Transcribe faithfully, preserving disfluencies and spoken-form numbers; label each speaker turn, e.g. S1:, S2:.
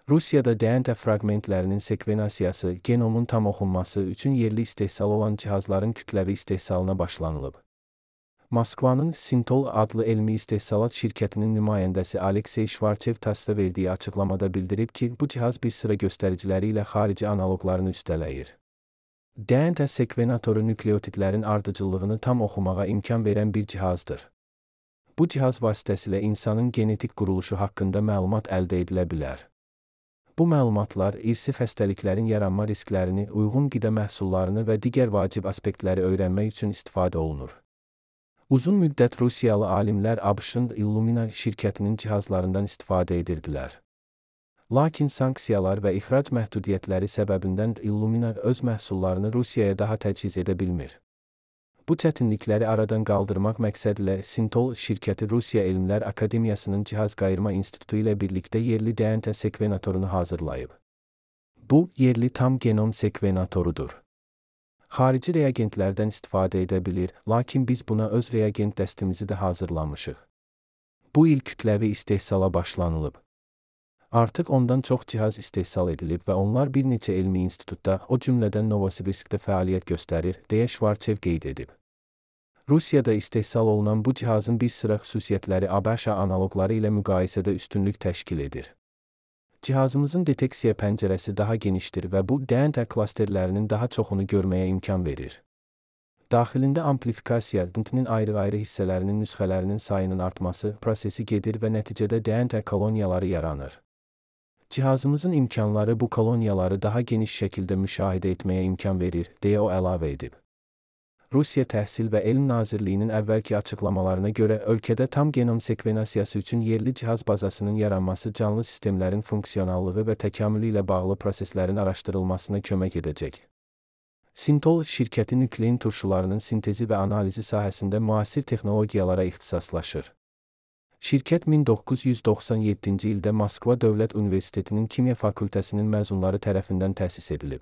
S1: Rusiyada D N A fraqmentlərinin sekvenasiyası, genomun tam oxunması üçün yerli istehsal olan cihazların kütləvi istehsalına başlanılıb. Moskvanın Sintol adlı elmi istehsalat şirkətinin nümayəndəsi Aleksey Şvarçev TASS-a verdiyi açıqlamada bildirib ki, bu cihaz bir sıra göstəriciləri ilə xarici analoqlarını üstələyir. D N A sekvenatoru nükleotidlərin ardıcıllığını tam oxumağa imkan verən bir cihazdır. Bu cihaz vasitəsilə insanın genetik quruluşu haqqında məlumat əldə edilə bilər. Bu məlumatlar irsi xəstəliklərin yaranma risklərini, uyğun qida məhsullarını və digər vacib aspektləri öyrənmək üçün istifadə olunur. Uzun müddət Rusiyalı alimlər ABŞ-ın Illumina şirkətinin cihazlarından istifadə edirdilər. Lakin sanksiyalar və ixrac məhdudiyyətləri səbəbindən Illumina öz məhsullarını Rusiyaya daha təchiz edə bilmir. Bu çətinlikləri aradan qaldırmaq məqsədilə Sintol şirkəti Rusiya Elmlər Akademiyasının Cihaz Qayırma İnstitutu ilə birlikdə yerli D N A sekvenatorunu hazırlayıb. Bu, yerli tam genom sekvenatorudur. Xarici reagentlərdən istifadə edə bilir, lakin biz buna öz reagent dəstimizi də hazırlamışıq. Bu il kütləvi istehsala başlanılıb. Artıq ondan çox cihaz istehsal edilib və onlar bir neçə elmi institutda, o cümlədən Novosibirskdə fəaliyyət göstərir, deyə Şvarçev qeyd edib. Rusiyada istehsal olunan bu cihazın bir sıra xüsusiyyətləri ABŞ analoqları ilə müqayisədə üstünlük təşkil edir. Cihazımızın deteksiya pəncərəsi daha genişdir və bu D N A klasterlərinin daha çoxunu görməyə imkan verir. Daxilində amplifikasiya, D N A-nin ayrı-ayrı hissələrinin nüsxələrinin sayının artması prosesi gedir və nəticədə D N A koloniyaları yaranır. Cihazımızın imkanları bu koloniyaları daha geniş şəkildə müşahidə etməyə imkan verir, deyə o əlavə edib. Rusiya Təhsil və Elm Nazirliyinin əvvəlki açıqlamalarına görə ölkədə tam genom sekvenasiyası üçün yerli cihaz bazasının yaranması canlı sistemlərin funksionallığı və təkamülü ilə bağlı proseslərin araşdırılmasına kömək edəcək. Sintol şirkəti nüklein turşularının sintezi və analizi sahəsində müasir texnologiyalara ixtisaslaşır. Şirkət min doqquz yüz doxsan yeddinci ildə Moskva Dövlət Universitetinin Kimya Fakültəsinin məzunları tərəfindən təsis edilib.